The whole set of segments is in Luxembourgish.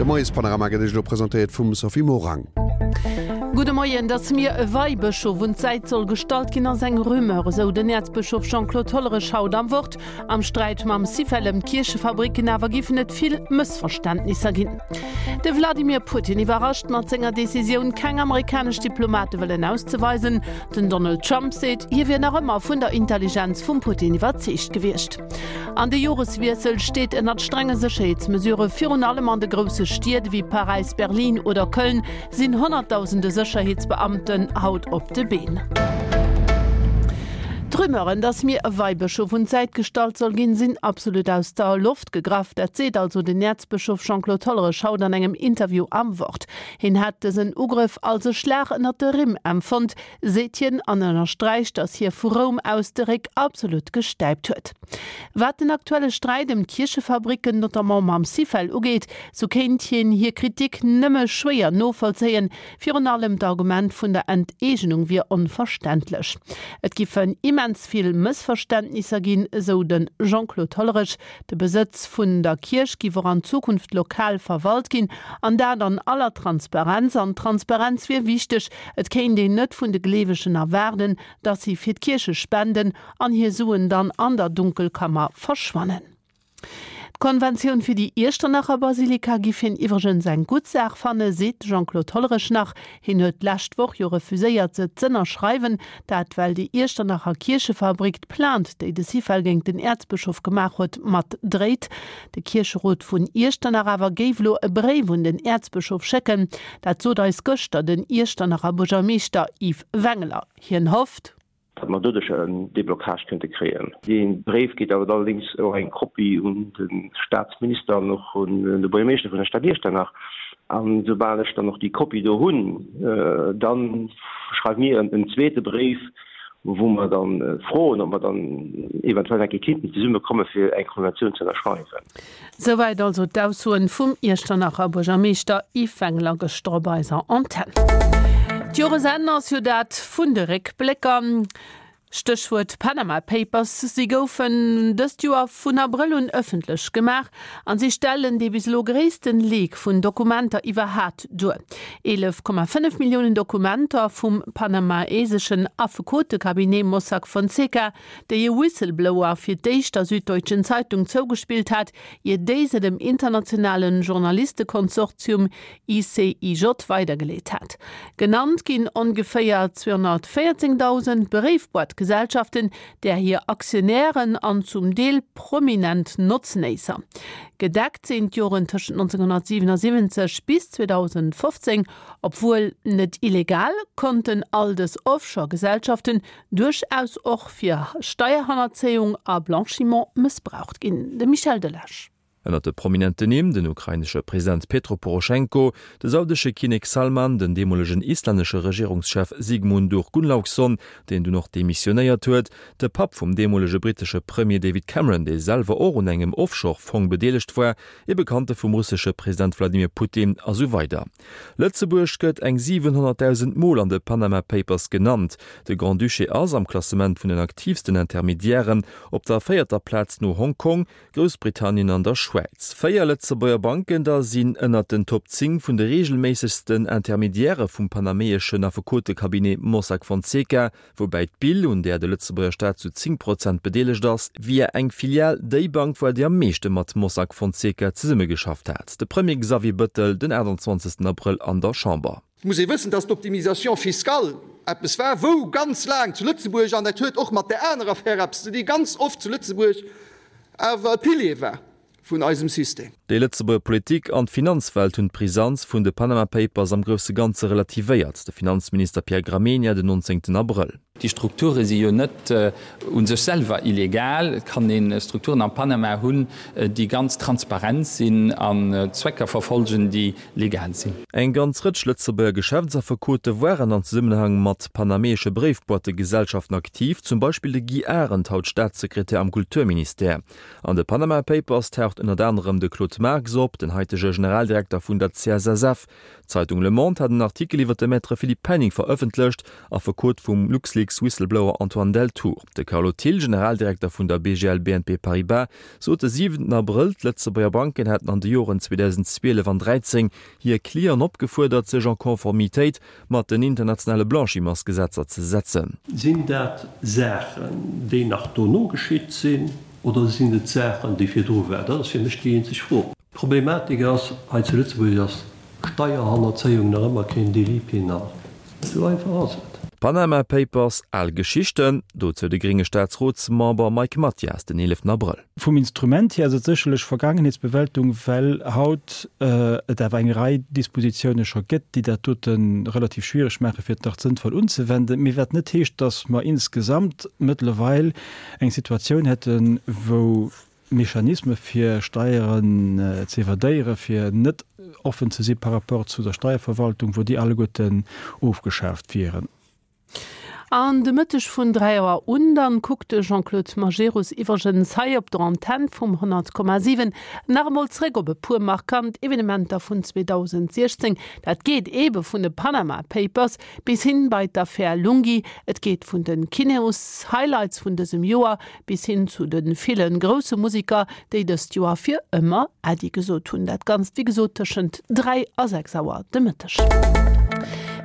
De Moiespanorama gëtt Iech elo presentéiert vum Sophie Morang. Gudde Moien, Datt mir e Weibëschof un d'Säit soll gestallt ginn, ass eng Rumeur, esou den Äerzbëschof Jean-Claude Hollerech haut am Wort. Am Sträit mam Syfel ëm d'Kierchefabricken awer giffen et vill Mëssverständnisser ginn. De Vladimir Putin iwwerrascht mat senger Decisioun, keng amerikanesch Diplomate wëllen auszeweisen. Den Donald Trump seet, hie wier nach ëmmer vun der Intelligenz vum Putin iwwerzeegt gewiescht. An de Joreswiessel steet ënnert strenge Sécherheetsmesurë. Virun allem an de grousse Stied ewéi Paräis, Berlin oder Köln sinn Honnertdausende Sécherheetsbeamten haut op de Been. D'Rumeuren, datt mir e Weibëschof un d'Säit gestallt soll ginn, sinn absolut aus der Loft gegraff. Dat seet also den Äerzbëschof Jean-Claude Hollerech haut an engem Interview am Wort. Hien hätt dësen Ugrëff als e Schlag ënnert de Rimm empfonnt, seet hien an ënnersträicht, datt hie vu Roum aus de Réck absolut gestäipt huet. Wat den aktuelle Sträit ëm d'Kierchefabricken, notamment mam Syfel, ugeet, sou kéint hien hir Kritik nëmme schwéier novollzéien. Virun allem d'Argument vun der Enteegenung wier onverständlech. Et giffen immens vill Mëssverständnisser ginn, esou de Jean-Claude Hollerech. De Besëtz vun der Kierch giff och an Zukunft lokal verwalt ginn, an dat an aller Transparenz. An Transparenz wier wichteg. Et kéint een net vun de Gleewegen erwaarden, datt si fir d'Kierche spenden an hir Suen dann an der Dunkelkammer verschwannen. D'Konventioun fir déi Iechternacher Basilika giff hien iwwregens eng gutt Saach fanne, seet de Jean-Claude Hollerech nach. Hien huet d'lescht Woch jo refuséiert, se z'ënnerschreiwen. Dat well déi Iechternacher Kierchefabrik d'Plainte, déi de Syfel géint den Äerzbëschof gemaach huet, mat dréit. De Kiercherot vun Iechternach awer géif elo e Bréif un den Äerzbëschof schécken. Dat sot eis gëschter den Iechternacher Buergermeeschter Yves Wengler. Hien hofft. Datt mer doduerch en Déblocage kënnte kréien. Dee Bréif geet awer allerdéngs och eng Kopie un de Statsminister an och un de Buergermeeschter vun der Stad Iechternach. An soubal ech dann och déi Kopie do hunn, da schreiwe mir en zweete Bréif, wou mer da froen, ob mer dann eventuell eng Kéier kinnten zesummekomme fir eng Konventioun ze ënnerschreiwen. Souwäit also d'Aussoen vum Iechternacher Buergermeeschter Yves Wengler gëschter op eiser Antenn. D'Joresenn ass jo dat vun de Réckblécker. Stéchwuert Panama Papers, Si goufen dëst Joer vun Abrëll un ëffentlech gemaach an si stellen dee bis elo gréissten Leak vun Dokumenter iwwerhat duer. 11,5 Milliounen Dokumenter vum panamaeseschen Affekotecabinet Mossack Fonseca, déi e Whistleblower fir d'éischt der Süddeutschen Zeitung zougespillt hat, ier déi se dem internationale Journalistekonsortium ICIJ weidergeleet hat. Genannt ginn ongeféier 214.000 Bréifboîte-Gesellschaften, där hir Aktionären an zum Deel prominent Notznéisser. Gedeckt sinn d'Joren tëschent 1977 bis 2015. Obwuel net illegal, konnten all dës Offshore-Gesellschaften duerchaus och fir Steierhannerzéiung a Blanchiment mëssbraucht ginn. De Michel Delage. Ënnert de prominenten Nimm, den ukrainesche President Petro Poroschenko, de saudesche Kinnek Salman, den deemolegen islännesche Regierungschef Sigmundur Gunnlaugsson, deen dunn och demissionéiert huet, de Papp vum deemolege brittesche Premier David Cameron, dee selwer och un engem Offshore-Fong bedeelegt war, ee Bekannte vum russesche President Wladimir Putin a sou weider. Lëtzebuerg gëtt eng 700.000 Mol an de Panama Papers genannt. De Grand-Duché ass, am Klassement vun den aktiivsten Intermediairen, op der véierter Plaz no Hongkong, Groussbritannien an der Schwäiz. 4 Lëtzebuerger Banken da sinn ënnert den Top 10 vun de reegelméissegsten Intermediairë vum panameeschen Affekotecabinet Mossack Fonseca, woubäi d'BIL, un där de Lëtzebuerger Staat zu 10 Prozent bedeelegt ass, via eng Filial déi Bank war, déi am meeschte mat Mossack Fonseca zesummegeschafft hat. De Premier Xavier Bëttel den 28 Abrëll an der Chamber. Et muss ee wëssen, dass d'Optimisation fiscale eppes war, wou ganz laang zu Lëtzebuerg, an dat huet och mat där anerer Affär eppes ze dinn, ganz oft zu Lëtzebuerg awer e Pilier war vun eisem System. Déi Lëtzebuerger Politik an d'Finanzwelt hunn d'Brisanz vun de Panama Papers am grousse Ganze relativéiert, de Finanzminister Pierre Gramegna den 19 Abrëll. Déi Strukture si jo net u sech selwer illegal. Et kann ee Strukturen am Panama hunn, déi ganz transparent sinn an Zwecker verfolgen, déi legal sinn. Eng ganz Rëtsch Lëtzebuerger Geschäftsaffekote waren an Zesummenhang mat panameesche Bréifboîtegesellschaften aktiv, zum Beispill de Guy Arendt, haut Staatssekretär am Kulturministère. An de Panama Papers taucht ënnert anerem de Claude Marx op, den haitege Generaldirekter vun der CSSF. D'Zeitung Le Monde hat en Artikel iwwer de Maître Philippe Penning verëffentlecht, Affekot vum LuxLeaks. LuxLeaks-Whistleblower Antoine Deltour. De Carlo Thill, Generaldirekter vun der BGL BNP Paribas, sot de siwenten Abrëll, d'Lëtzebuerger Banken hätten an de Joren 2012 an 13 hir Clienten opgefuerdert, sech en Conformitéit mat den internationale Blanchimentsgesetzer ze setzen. Sinn dat Saachen, déi nach dono geschitt sinn, oder sinn et Saachen, déi virdru waren? Dat ass fir mech déi eenzeg Fro. D'Problematik ass, hei zu Lëtzebuerg ass Steierhannerzéiung nach ëmmer keen Délit pénal. Esou einfach ass et. Panama Papers, al Geschichten, dozou de grénge Staatsrotsmember Mike Mathias den 11 Abrëll. Vum Instrument hier ass et sécherlech Vergaangenheetsbewältung, well haut et awer eng Rei Dispositiounen scho gëtt, déi dat dote relativ schwierig maachen, fir et nach sënnvoll unzewenden. Mee wat net heescht, dass mer insgesamt mëttlerweil eng Situatioun hätten, wou Mechanisme fir Steieren ze evadéieren, fir net offen ze si par rapport zu der Steierverwaltung, wou déi alleguerten ofgeschaaft wieren. An de Mëtteg vun 3 Auer un dann kuckt de Jean-Claude Majerus iwwregens hei op der Antenn vum 100,7 nach emol zréck op e puer markant Evenementer vun 2016. Dat geet eebe vun de Panama Papers bis hin bei d'Affär Lunghi, et geet vun de Kineos-Highlights vun dësem Joer bis hin zu de ville grousse Musiker, déi dëst Joer fir ëmmer Äddi gesot hunn. Dat Ganzt wéi gesot tëschent 3 a 6 Auer de Mëtteg.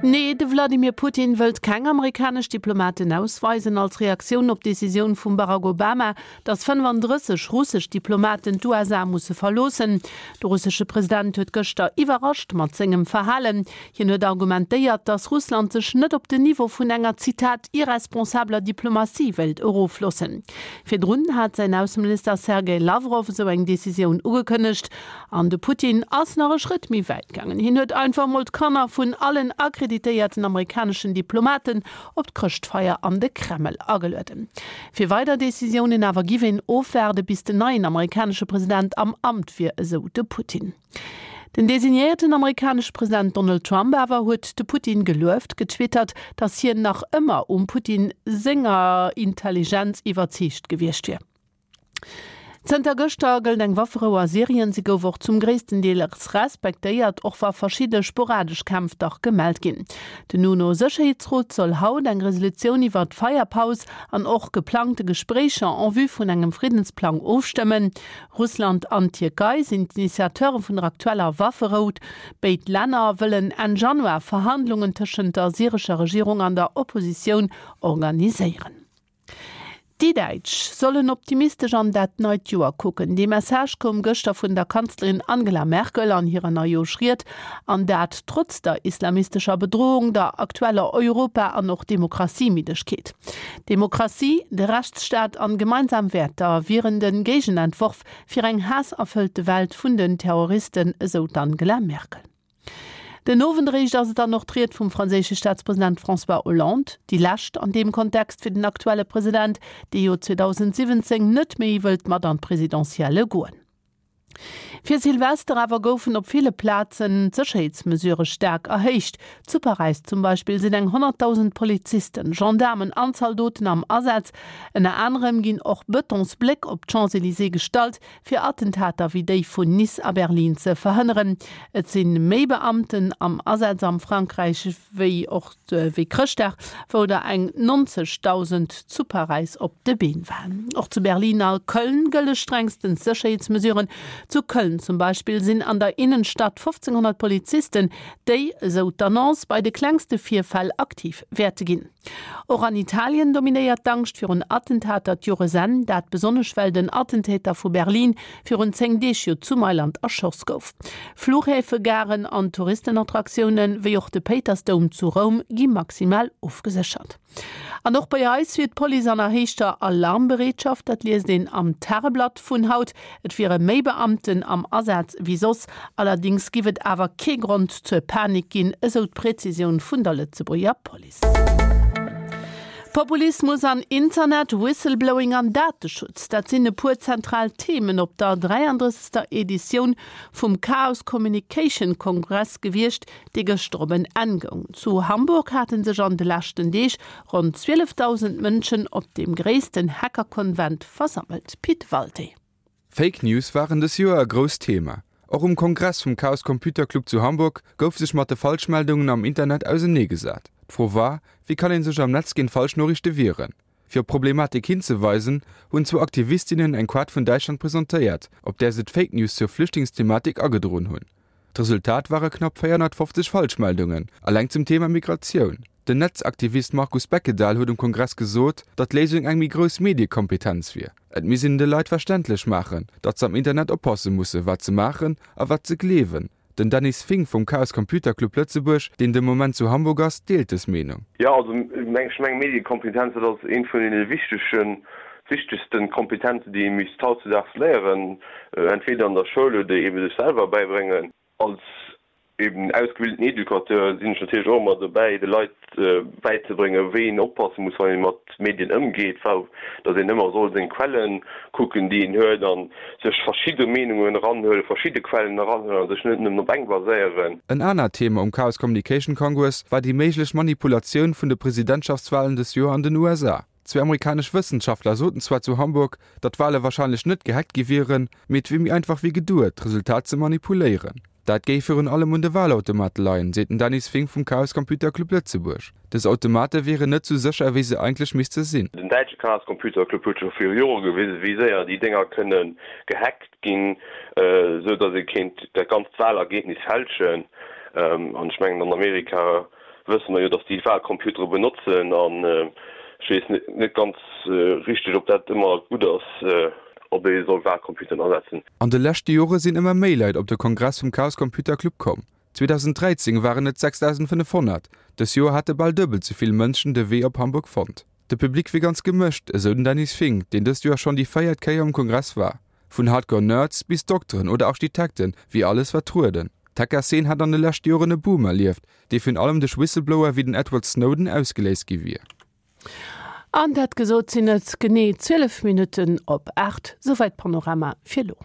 Nee, de Vladimir Putin wëllt keng amerikanesch Diplomaten ausweisen. Als Reaktioun op d'Decisioun vum Barack Obama, datt 35 russesch Diplomaten d'USA musse verloossen. De russesche President huet gëschter iwwerrascht mat sengem Verhalen. Hien huet argumentéiert, datt Russland sech net op den Niveau vun enger, Zitat, irresponsabeler Diplomatie wéilt erofloossen. Virdrun hat säin Ausseminister Sergej Lawrow esou eng Decisioun ugekënnegt. An de Putin ass nach e Schrëtt méi wäit gaangen. Hien huet einfach mol d'Kanner vun allen akkreditéierten amerikaneschen Diplomaten op d'Chrëschtfeier an de Kreml agelueden. Fir weider Decisiounen awer giff een ofwaarde bis den neien amerikanesche President am Amt wier, esou de Putin. Den designéierten amerikanesche President Donald Trump awer huet de Putin gelueft, getwittert, datt hien nach ëmmer um Putin senger Intelligenz iwwerzeegt gewiescht wier. Zënter gëschter gëllt eng Wafferou a Syrien. Se gouf och zum gréissten Deel respektéiert, och wa verschidde sporadesch Kämpf dach gemellt ginn. Den UNO-Sécherheetsrot soll haut eng Resolutioun iwwer d'Feierpaus an och geplangte Gespréicher en vue vun engem Friddensplang ofstëmmen. Russland an d'Tierkei sinn d'Initiateure vun der aktueller Wafferou. Béid Länner wëllen Enn Januar Verhandlungen tëschent der syrescher Regierung an der Oppositioun organiséieren. Déi Däitsch sollen optimistesch an dat neit Joer kucken. Dee Message koum gëschter vun der Kanzlerin Angela Merkel an hirer Neijooschried. An dat trotz der islamistescher Bedrohung, der aktueller Europa an och Demokratiemiddegkeet. Demokratie, de Rechtsstaat an gemeinsam Wäerter wieren de Géigenentworf fir eng haasserfëllte Welt vun den Terroristen, esou d'Angela Merkel. Den Owend eréischt ass et dann och d'Ried vum franséische Staatspresident François Hollande, déi lescht an deem Kontext fir den aktuelle President, dee jo 2017 net méi wëllt mat an d'Presidentielle goen. Fir Silvester awer goufen op ville Plazen d'Sécherheetsmesurë staark erhéicht. Zu Paräis zum Beispill sinn eng 100.000 Polizisten, Gendaarmen an Zaldoten am Asaz. Ënner anerem ginn och Betonsbléck op d'Champs-Elysées gestallt, fir Attentater wéi déi vun Nice a Berlin ze verhënneren. Et si méi Beamten am Asaz am Frankräich wéi och wéi Chrëschtdag, wou der eng 90.000 zu Paräis op de Been waren. Och zu Berlin a Köln gëlle strengstens Sécherheetsmesuren. Zu Köln zum Beispill sinn an der Innenstadt 1.500 Polizisten, déi, esou d'Annonce, bei de klengste Virfäll aktiv wäerte ginn. Och an Italien dominéiert d'Angscht virun Attentater d'Joresenn, dat besonnesch well den Attentäter vu Berlin virun 10 Deeg jo zu Mailand erschoss gouf. Fluchhäfe, Garen an Touristenattraktioune wéi och de Péitersdoum zu Roum gi maximal ofgeséchert. An och bei eis wier d'Police an erhéichter Alarmbereetschaft, dat liest een am Tageblatt vun haut. Et wiere méi Beamten am Asaz wéi soss, allerdéngs giff et awer kee Grond zur Panik ginn, esou d'Präzisioun vun der Lëtzebuerger Police. Populismus an Internet, Whistleblowing an Dateschutz, dat sinn e puer zentral Themen op der 33. Editioun vum Chaos Communication Congress gewiescht, dee gëschter op en Enn goung. Zu Hamburg hate sech an de leschten Deeg ronn 12.000 Mënschen op deem gréissten Hacker-Konvent versammelt. Pit Walté. Fake News waren dës Joer e grousst Thema. Och um Kongress vum Chaos Computer Club zu Hamburg gouf sech mat de Falschmeldungen am Internet ausenee gesat. D'Fro war, Wéi kann ee sech am Netz géint falsch Noriichte wieren? Fir op d'Problematik hinzeweisen, hunn zwou Aktivistinnen eng Kaart vun Däitschland presentéiert, op där se d'Fake News zur Flüchtlingsthematik agedroen hunn. D'Resultat ware knapp 450 Falschmeldungen, alleng zum Thema Migratioun. Den Netzaktivist Markus Beckedahl huet um Kongress gesot, datt d'Léisung eng méi grouss Mediekompetenz wier. Et misst een de Leit verständlech maachen, datt se am Internet oppasse musse wat se maachen a wat se gleewen. Den Dennis Fink vum Chaos Computer Club Lëtzebuerg, deen de Moment zu Hamburg ass, deelt dës Meenung. Jo, also ech mengen Mediekompetenz, dat ass eent vun deene wichtegen, wichtegsten Kompetenzen, déi ee misst hautzudaags léieren, entweder an der Schoul oder eebe sech selwer bäibréngen. Als eben ausgebildeten Educateur sinn ech natierlech och ëmmer dobäi, de Leit bäizebréngen, wéi een oppasse muss, wann ee mat Medien ëmgeet, datt een ëmmer soll seng Quellen kucken, déi een huet, a sech verschidde Meenungen eranhuelen, verschidde Quellen eranhuelen a sech net nëmmen op eng baséieren. En anert Thema um Chaos Communication Congress war déi méiglech Manipulatioun vun de Presidentschaftswalen dës Joer an den USA. Zwee amerikanesch Wëssenschaftler soten zwar zu Hamburg, datt d'Wale warscheinlech net gehackt gi wieren, mee et wier méi einfach wéi geduet, d'Resultat ze manipuléieren. Dat géif virun allem un de Walautomate leien, seet den Dennis Fink vum Chaos Computer Club Lëtzebuerg. Dës Automate wieren net sou sécher, wéi se eigentlech misste sinn. Den däitsche Chaos Computer Club huet scho viru Jore gewisen, wéi séier déi Dénger kënne gehackt ginn, esou datt ee kéint dat ganzt Walergebnis fälschen. An ech mengen, an Amerika wësse mer jo, datt déi Walcomputere benotzen an ech weess net ganz richteg, ob dat ëmmer gutt ass, ob ee soll Walcomputeren asetzen. An de leschte Jore sinn ëmmer méi Leit op de Kongress vum Chaos Computer Club komm. 2013 waren et 6.500, dës Joer hate bal duebel ze vill Mënschen de Wee op Hamburg fonnt. De Public wier ganz gemëscht, esou den Dennis Fink, deen dëst Joer schonn déi véiert Kéier um Kongress war. Vun Hardcore Nerds bis Dokteren oder Architekten wier alles vertrueden. D'Hacker-Szene hätt an de leschte Joren e Boom erlieft, dee virun allem duerch Whistleblower wéi den Edward Snowden ausgeléist gi wier. An dat gesot sinn et genee 12 Minutten op 8. Souwäit Panorama fir elo.